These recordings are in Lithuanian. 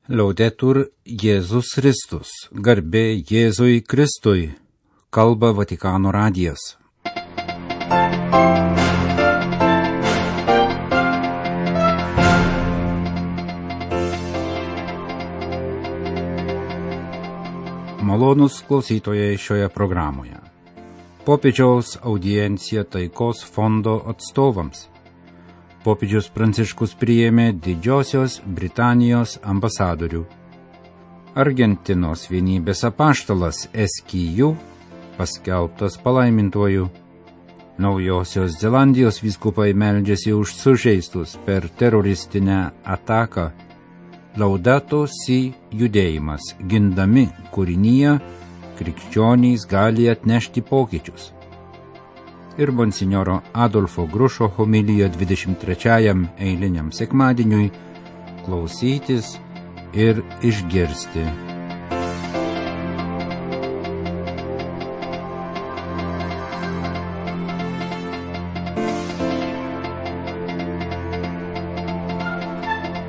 Laudetur Jėzus Kristus, garbė Jėzui Kristui, kalba Vatikano radijas. Malonūs klausytojai šioje programoje. Popiežiaus audiencija taikos fondo atstovams. Popiežius Pranciškus priėmė Didžiosios Britanijos ambasadorių. Argentinos vienybės apaštalas Esquiju paskelbtas palaimintuoju. Naujosios Zelandijos vyskupai meldžiasi už sužeistus per teroristinę ataką. Laudato Si judėjimas, gindami kūrinyje, krikščionys gali atnešti pokyčius. Ir monsinjoro Adolfo Grušo homilija 23 eiliniam sekmadieniui klausytis ir išgirsti.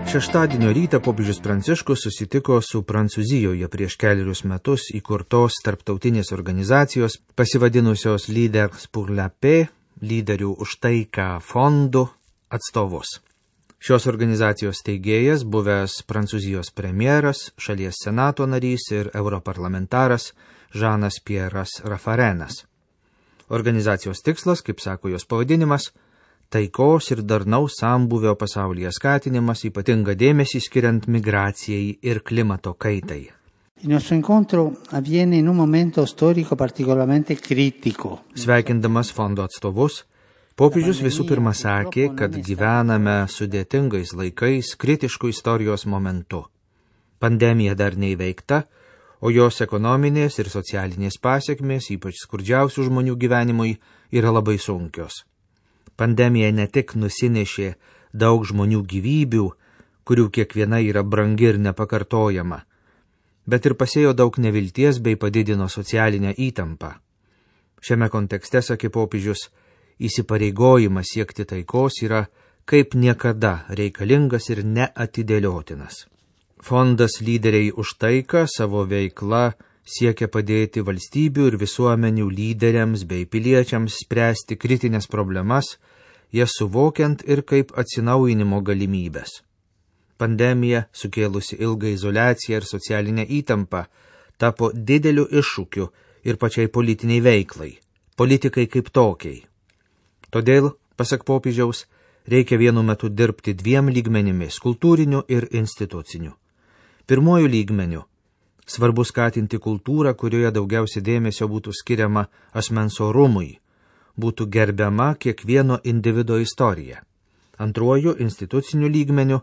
Šeštadienio rytą popiežius Pranciškus susitiko su Prancūzijoje prieš kelerius metus įkurtos tarptautinės organizacijos pasivadinusios Leaders pour la Paix, lyderių už taiką fondų atstovus. Šios organizacijos steigėjas, buvęs Prancūzijos premjeras, šalies senato narys ir europarlamentaras Žanas Pieras Rafarenas. Organizacijos tikslas, kaip sako jos pavadinimas, taikos ir darnaus sambūvio pasaulyje skatinimas, ypatingą dėmesį skiriant migracijai ir klimato kaitai. Il nostro incontro avviene in un momento storico particolarmente critico. Sveikindamas fondo atstovus, popiežius visų pirma sakė, kad gyvename sudėtingais laikais, kritiškų istorijos momentu. Pandemija dar neįveikta, o jos ekonominės ir socialinės pasekmės, ypač skurdžiausių žmonių gyvenimui, yra labai sunkios. Pandemija ne tik nusinešė daug žmonių gyvybių, kurių kiekviena yra brangi ir nepakartojama, bet ir pasėjo daug nevilties bei padidino socialinę įtampą. Šiame kontekste, sakė popiežius, įsipareigojimas siekti taikos yra kaip niekada reikalingas ir neatidėliotinas. Fondas Lyderiai už taiką savo veikla siekia padėti valstybių ir visuomenių lyderiams bei piliečiams spręsti kritinės problemas, jas suvokiant ir kaip atsinaujinimo galimybės. Pandemija, sukėlusi ilgą izoliaciją ir socialinę įtampą, tapo dideliu iššūkiu ir pačiai politiniai veiklai, politikai kaip tokiai. Todėl, pasak popiežiaus, reikia vienu metu dirbti dviem lygmenimis – kultūriniu ir instituciniu. Pirmuoju lygmeniu – svarbu skatinti kultūrą, kurioje daugiausia dėmesio būtų skiriama asmens orumui, būtų gerbiama kiekvieno individo istorija. Antruoju, instituciniu lygmeniu,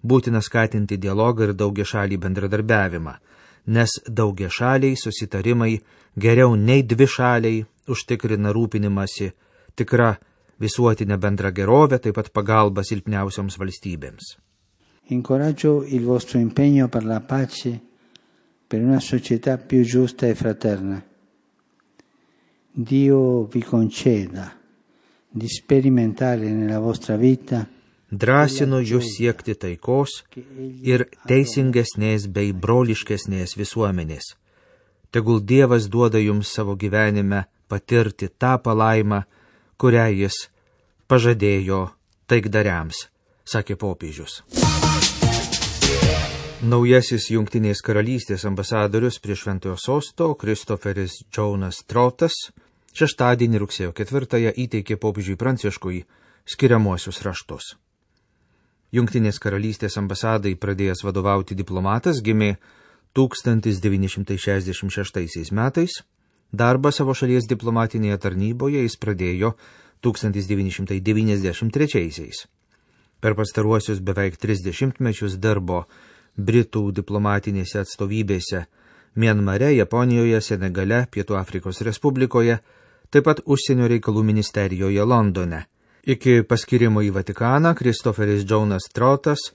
būtina skatinti dialogą ir daugiašalį bendradarbiavimą, nes daugiašaliai susitarimai geriau nei dvišaliai užtikrina rūpinimąsi tikra visuotinė bendra gerovė, taip pat pagalba silpniausioms valstybėms. Incoraggio il vostro impegno per la pace, per una società più giusta e fraterna. Dio vi conceda di sperimentare nella vostra vita. Drąsinu jūs siekti taikos ir teisingesnės bei broliškesnės visuomenės. Tegul Dievas duoda jums savo gyvenime patirti tą palaimą, kurią jis pažadėjo taikdariams, sakė popiežius. Naujasis Jungtinės karalystės ambasadorius prie Šventojo sosto Christopheris Jonas Trotas šeštadienį rugsėjo 4 įteikė popiežiui Pranciškui skiriamuosius raštus. Jungtinės karalystės ambasadai pradėjęs vadovauti diplomatas gimė 1966 metais, darbą savo šalies diplomatinėje tarnyboje jis pradėjo 1993. Per pastaruosius beveik 30 mečius dirbo Britų diplomatinėse atstovybėse Mianmare, Japonijoje, Senegale, Pietų Afrikos Respublikoje, taip pat užsienio reikalų ministerijoje Londone. Iki paskirimo į Vatikaną Christopheris Jonas Trotas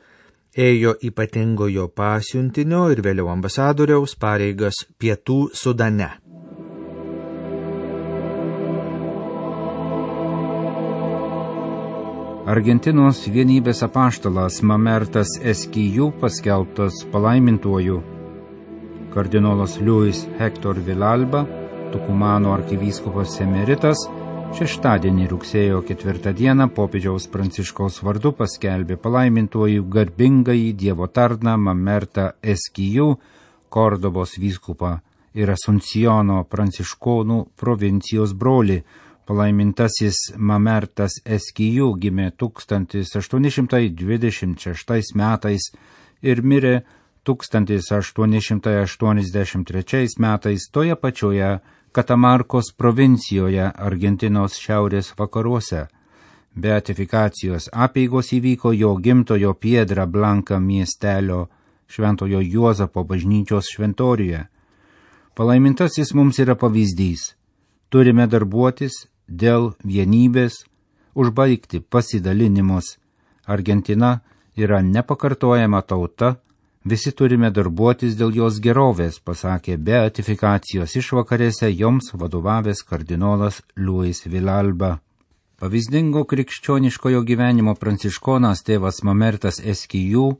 ėjo ypatingojo pasiuntinio ir vėliau ambasadoriaus pareigas Pietų Sudane. Argentinos vienybės apaštalas Mamertas Esquiju paskelbtas palaimintuoju. Kardinolas Luis Hector Villalba, Tukumano arkivyskupas emeritas, šeštadienį rugsėjo 4 dieną popiežiaus Pranciškaus vardu paskelbė palaimintuoju garbingąjį Dievo tarną Mamertą Esquiju, Kordobos vyskupą ir Asuncijono pranciškonų provincijos brolį. Palaimintasis Mamertas Esquiju gimė 1826 metais ir mirė 1883 metais toje pačioje Katamarkos provincijoje Argentinos šiaurės vakaruose. Beatifikacijos apeigos įvyko jo gimtojo Piedra Blanca miestelio Šventojo Juozapo bažnyčios šventoriuje. Palaimintasis mums yra pavyzdys. Turime darbuotis dėl vienybės, užbaigti pasidalinimus. Argentina yra nepakartojama tauta, visi turime darbuotis dėl jos gerovės, pasakė beatifikacijos išvakarėse joms vadovavęs kardinolas Luis Villalba. Pavyzdingo krikščioniškojo gyvenimo pranciškonas tėvas Mamertas Esquiju,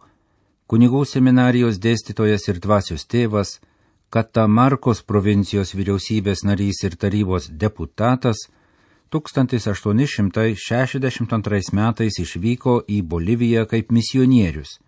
kunigų seminarijos dėstytojas ir dvasios tėvas, Katamarkos provincijos vyriausybės narys ir tarybos deputatas, 1862 metais išvyko į Boliviją kaip misionierius.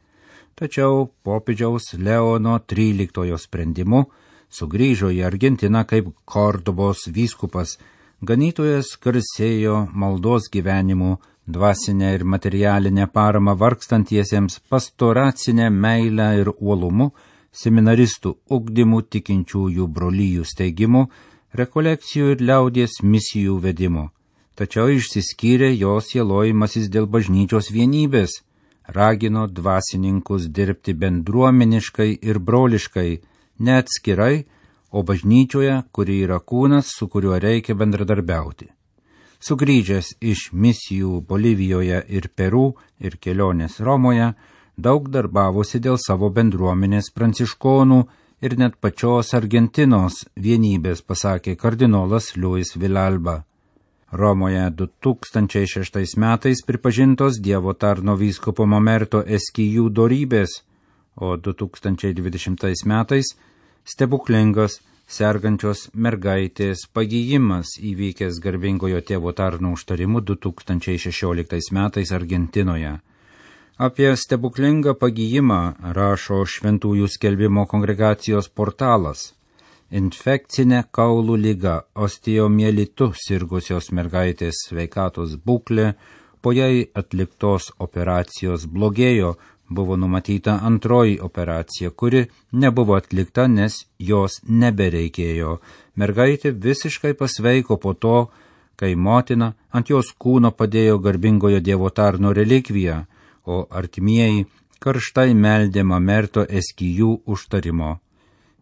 Tačiau popiežiaus Leono XIII sprendimu sugrįžo į Argentiną kaip Kordobos vyskupas. Ganytojas garsėjo maldos gyvenimu, dvasinę ir materialinę paramą vargstantiesiems, pastoracinę meilę ir uolumu, seminaristų ugdymu, tikinčiųjų brolijų steigimu, rekolekcijų ir liaudies misijų vedimu. Tačiau išsiskyrė jo sielojimasis dėl bažnyčios vienybės. Ragino dvasininkus dirbti bendruomeniškai ir broliškai, ne atskirai, o bažnyčioje, kuri yra kūnas, su kuriuo reikia bendradarbiauti. Sugrįžęs iš misijų Bolivijoje ir Peru ir kelionės Romoje, daug darbavosi dėl savo bendruomenės pranciškonų ir net pačios Argentinos vienybės, pasakė kardinolas Luis Villalba. Romoje 2006 metais pripažintos Dievo tarno vyskupo Mamerto Esquiju dorybės, o 2020 metais stebuklingas sergančios mergaitės pagijimas įvykęs garbingojo tėvo tarno užtarimu 2016 metais Argentinoje. Apie stebuklingą pagijimą rašo Šventųjų skelbimo kongregacijos portalas. Infekcinė kaulų liga, osteomielitu sirgusios mergaitės sveikatos būklė, po jai atliktos operacijos blogėjo, buvo numatyta antroji operacija, kuri nebuvo atlikta, nes jos nebereikėjo. Mergaitė visiškai pasveiko po to, kai motina ant jos kūno padėjo garbingojo Dievo tarno relikviją, o artimieji karštai meldė Mamerto Esquiju užtarimo.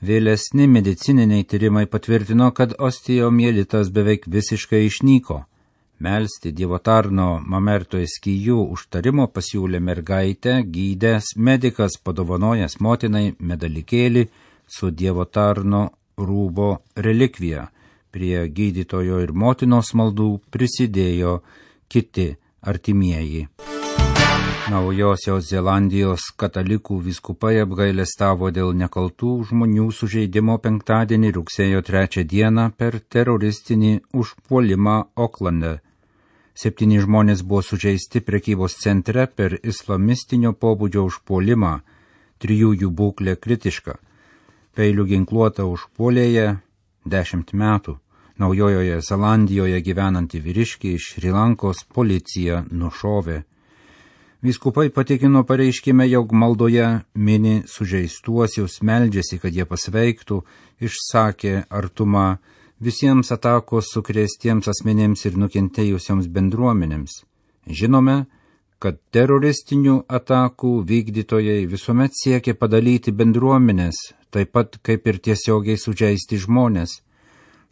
Vėlesni medicininiai tyrimai patvirtino, kad osteomielitas beveik visiškai išnyko. Melsti Dievo tarno Mamerto Esquiju užtarimo pasiūlė mergaitę, gydęs medikas padovanojęs motinai medalikėlį su Dievo tarno rūbo relikvija. Prie gydytojo ir motinos maldų prisidėjo kiti artimieji. Naujosios Zelandijos katalikų vyskupai apgailestavo dėl nekaltų žmonių sužeidimo penktadienį rugsėjo 3 dieną per teroristinį užpuolimą Oklande. 7 žmonės buvo sužeisti prekybos centre per islamistinio pobūdžio užpuolimą, 3 jų būklė kritiška. Peilių ginkluota užpuolėja 10 metų. Naujojoje Zelandijoje gyvenanti vyriškį iš Šri Lankos policija nušovė. Vyskupai patikino pareiškime, jog maldoje mini sužeistuosius, meldžiasi, kad jie pasveiktų, išsakė artumą visiems atakos sukrėstiems asmenėms ir nukentėjusiems bendruomenėms. Žinome, kad teroristinių atakų vykdytojai visuomet siekia padalyti bendruomenės, taip pat kaip ir tiesiogiai sužeisti žmonės.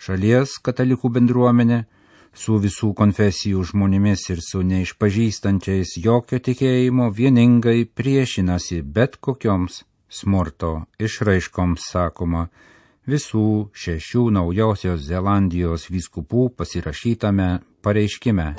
Šalies katalikų bendruomenė su visų konfesijų žmonėmis ir su neišpažįstančiais jokio tikėjimo vieningai priešinasi bet kokioms smurto išraiškoms, sakoma visų 6 Naujosios Zelandijos vyskupų pasirašytame pareiškime.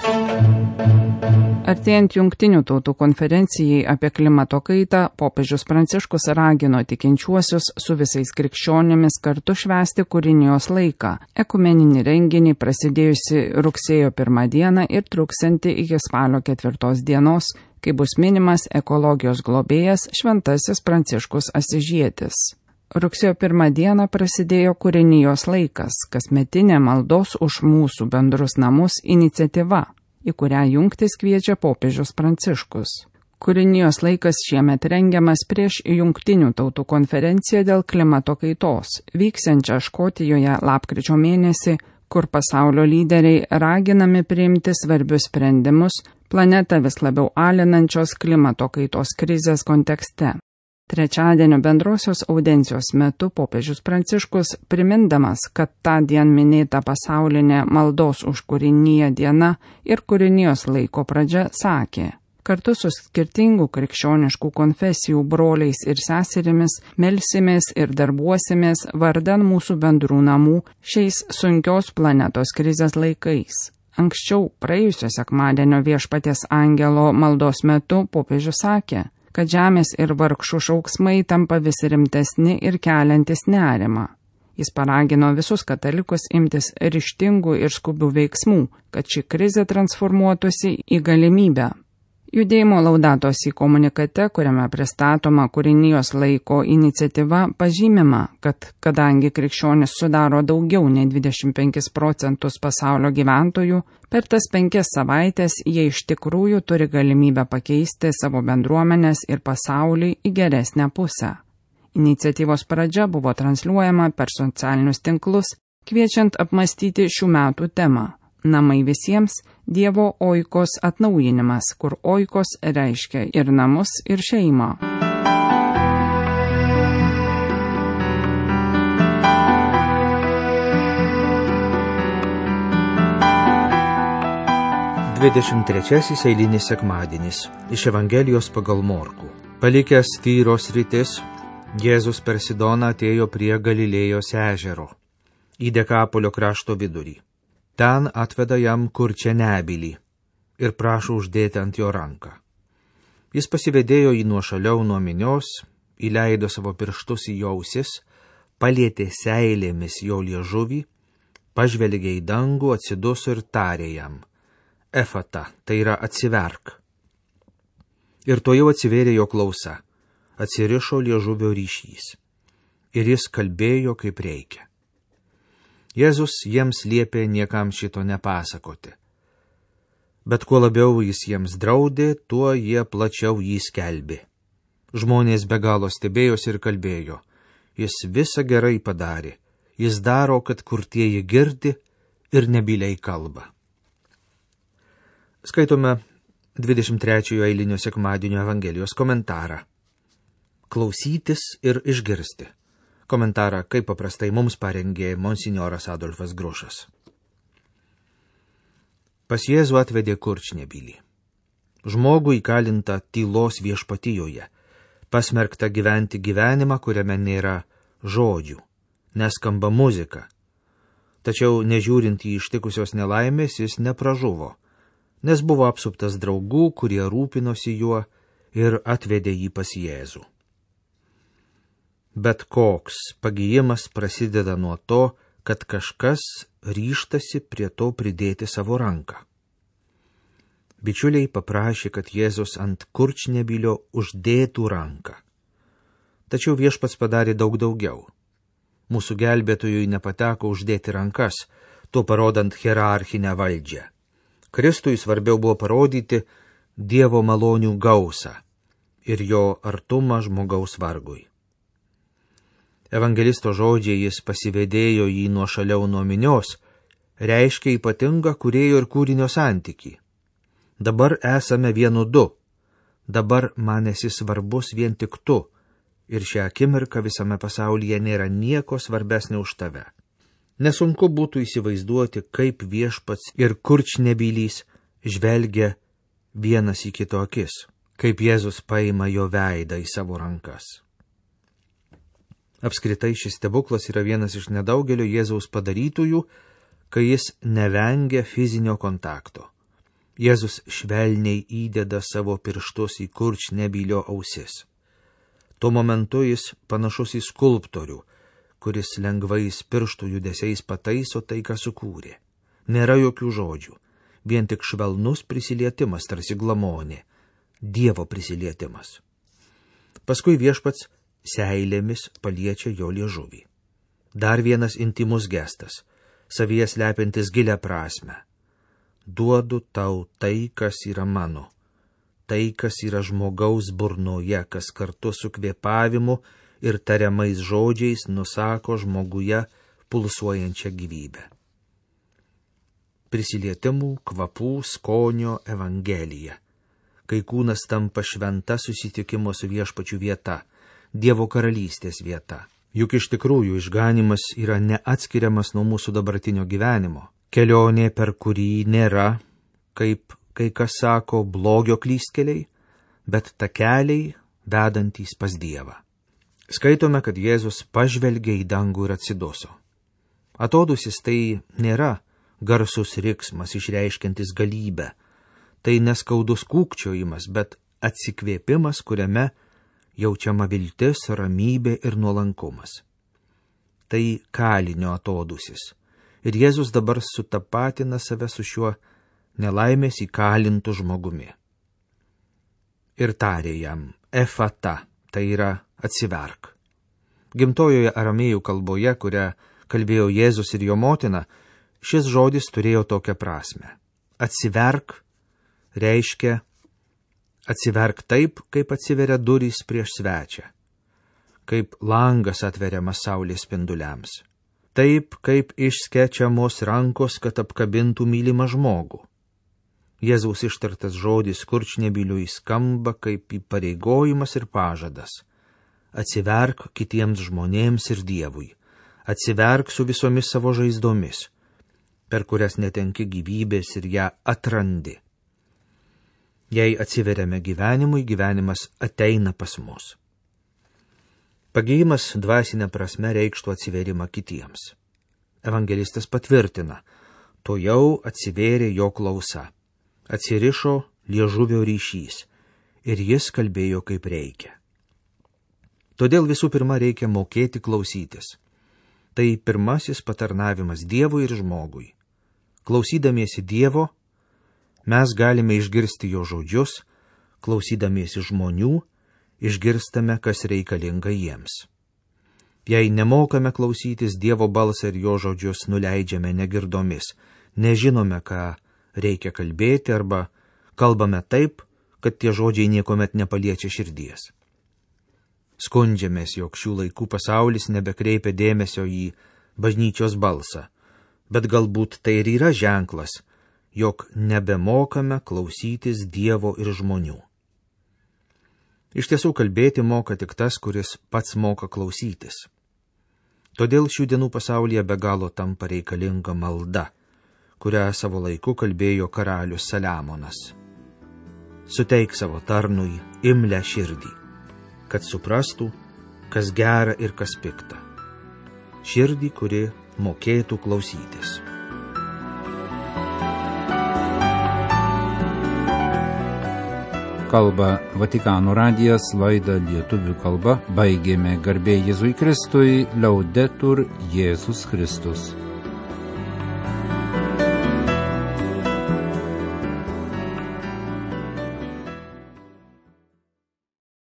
Artėjant Jungtinių tautų konferencijai apie klimato kaitą, popiežius Pranciškus ragino tikinčiuosius su visais krikščionimis kartu švęsti kūrinijos laiką, ekumeninį renginį prasidėjusi rugsėjo 1 dieną ir truksianti iki spalio 4 dienos, kai bus minimas ekologijos globėjas Šventasis Pranciškus Asyžietis. Rugsėjo 1 dieną prasidėjo kūrinijos laikas, kasmetinė maldos už mūsų bendrus namus iniciatyva, į kurią jungtis kviečia popiežius Pranciškus. Kūrinijos laikas šiemet rengiamas prieš Jungtinių tautų konferenciją dėl klimato kaitos, vyksiančią Škotijoje lapkričio mėnesį, kur pasaulio lyderiai raginami priimti svarbius sprendimus planetą vis labiau alinančios klimato kaitos krizės kontekste. Trečiadienio bendrosios audencijos metu popiežius Pranciškus, primindamas, kad tą dieną minėta pasaulinė maldos už kūriniją diena ir kūrinijos laiko pradžia, sakė: kartu su skirtingų krikščioniškų konfesijų broliais ir seserimis melsimės ir darbuosimės vardan mūsų bendrų namų šiais sunkios planetos krizės laikais. Anksčiau, praėjusio sekmadienio Viešpaties angelo maldos metu, popiežius sakė, kad žemės ir vargšų šauksmai tampa vis rimtesni ir keliantis nerimą. Jis paragino visus katalikus imtis ryžtingų ir skubių veiksmų, kad ši krizė transformuotųsi į galimybę. Judėjimo Laudato Si komunikate, kuriame pristatoma kūrinijos laiko iniciatyva, pažymima, kad kadangi krikščionis sudaro daugiau nei 25% pasaulio gyventojų, per tas 5 savaitės jie iš tikrųjų turi galimybę pakeisti savo bendruomenės ir pasaulį į geresnę pusę. Iniciatyvos pradžia buvo transliuojama per socialinius tinklus, kviečiant apmastyti šių metų temą. Namai visiems – Dievo oikos atnaujinimas, kur oikos reiškia ir namus, ir šeimą. Dvidešimtrečiasis eilinis sekmadienis iš Evangelijos pagal Morkų. Palikęs Tyros sritis, Jėzus per Sidoną atėjo prie Galilėjos ežero, į Dekapolio krašto vidurį. Ten atveda jam kurčią nebylį ir prašo uždėti ant jo ranką. Jis pasivedėjo jį nuošaliau nuo minios, įleido savo pirštus į jo ausis, palietė seilėmis jo liežuvį, pažvelgė į dangų, atsiduso ir tarė jam: Efata, tai yra atsiverk. Ir tuojau atsivėrė jo klausa, atsirišo liežuvio ryšys. Ir jis kalbėjo kaip reikia. Jėzus jiems liepė niekam šito nepasakoti. Bet kuo labiau jis jiems draudė, tuo jie plačiau jį skelbė. Žmonės be galo stebėjosi ir kalbėjo: jis visą gerai padarė, jis daro, kad kurtieji girdi ir nebyliai kalba. Skaitome 23 eilinio sekmadienio Evangelijos komentarą. Klausytis ir išgirsti. Komentarą, kaip paprastai mums parengė monsinjoras Adolfas Grušas. Pas Jėzų atvedė kurčnebylį. Žmogų įkalintą tylos viešpatijoje, pasmerktą gyventi gyvenimą, kuriame nėra žodžių, neskamba muzika. Tačiau, nežiūrint į ištikusios nelaimės, jis nepražuvo, nes buvo apsuptas draugų, kurie rūpinosi juo ir atvedė jį pas Jėzų. Bet koks pagijimas prasideda nuo to, kad kažkas ryžtasi prie to pridėti savo ranką. Bičiuliai paprašė, kad Jėzus ant kurčnebylio uždėtų ranką. Tačiau Viešpats padarė daug daugiau. Mūsų gelbėtojui nepateko uždėti rankas, tuo parodant hierarchinę valdžią. Kristui svarbiau buvo parodyti Dievo malonių gausą ir jo artumą žmogaus vargui. Evangelisto žodžiai jis pasivedėjo jį nuošaliau nuo minios, reiškia ypatingą kūrėjo ir kūrinio santykį. Dabar esame vienu du, dabar man esi svarbus vien tik tu, ir šią akimirką visame pasaulyje nėra nieko svarbesnio už tave. Nesunku būtų įsivaizduoti, kaip Viešpats ir kurčnebylys žvelgia vienas į kito akis, kaip Jėzus paima jo veidą į savo rankas. Apskritai šis stebuklas yra vienas iš nedaugelio Jėzaus padarytųjų, kai jis nevengia fizinio kontakto. Jėzus švelniai įdeda savo pirštus į kurčnebylio ausis. Tuo momentu jis panašus į skulptorių, kuris lengvais pirštų judesiais pataiso tai, ką sukūrė. Nėra jokių žodžių, vien tik švelnus prisilietimas, tarsi glamonė, Dievo prisilietimas. Paskui viešpats seilėmis paliečia jo liežuvį. Dar vienas intimus gestas, savyje slepiantis gilią prasmę. Duodu tau tai, kas yra mano, tai, kas yra žmogaus burnoje, kas kartu su kvėpavimu ir tariamais žodžiais nusako žmoguje pulsuojančią gyvybę. Prisilietimų, kvapų, skonio evangelija. Kai kūnas tampa šventa susitikimo su viešpačiu vieta, Dievo karalystės vieta. Juk iš tikrųjų išganimas yra neatskiriamas nuo mūsų dabartinio gyvenimo. Kelionė, per kurį nėra, kaip kai kas sako, blogio klystkeliai, bet takeliai vedantys pas Dievą. Skaitome, kad Jėzus pažvelgė į dangų ir atsiduso. Atodusis tai nėra garsus riksmas išreiškiantis galybę, tai neskaudus kūkčiojimas, bet atsikvėpimas, kuriame jaučiama viltis, ramybė ir nuolankumas. Tai kalinio atodusis. Ir Jėzus dabar sutapatina save su šiuo nelaimės įkalintu žmogumi. Ir tarė jam, efata, tai yra atsiverk. Gimtojoje aramėjų kalboje, kurią kalbėjo Jėzus ir jo motina, šis žodis turėjo tokią prasme. Atsiverk reiškia atsiverk taip, kaip atsiveria durys prieš svečią, kaip langas atveriamas saulės spinduliams, taip, kaip išskečiamos rankos, kad apkabintų mylimą žmogų. Jėzaus ištartas žodis kurčnebyliui skamba kaip įpareigojimas ir pažadas. Atsiverk kitiems žmonėms ir Dievui, atsiverk su visomis savo žaizdomis, per kurias netenki gyvybės ir ją atrandi. Jei atsiveriame gyvenimui, gyvenimas ateina pas mus. Pagėjimas dvasinė prasme reikštų atsiverimą kitiems. Evangelistas patvirtina, to jau atsivėrė jo klausa, atsirišo liežuvio ryšys ir jis kalbėjo kaip reikia. Todėl visų pirma reikia mokėti klausytis. Tai pirmasis patarnavimas Dievui ir žmogui. Klausydamiesi Dievo, mes galime išgirsti jo žodžius, klausydamiesi žmonių, išgirstame, kas reikalinga jiems. Jei nemokame klausytis Dievo balsą ir jo žodžius nuleidžiame negirdomis, nežinome, ką reikia kalbėti arba kalbame taip, kad tie žodžiai niekuomet nepaliečia širdies. Skundžiamės, jog šių laikų pasaulis nebekreipia dėmesio į bažnyčios balsą, bet galbūt tai ir yra ženklas, jog nebemokame klausytis Dievo ir žmonių. Iš tiesų kalbėti moka tik tas, kuris pats moka klausytis. Todėl šių dienų pasaulyje be galo tampa reikalinga malda, kurią savo laiku kalbėjo karalius Saliamonas. Suteik savo tarnui imlią širdį, kad suprastų, kas gera ir kas pikta. Širdį, kuri mokėtų klausytis. Kalba Vatikano radijas, laidą lietuvių kalba baigėme. Garbė Jėzui Kristui, Laudetur Jėzus Kristus.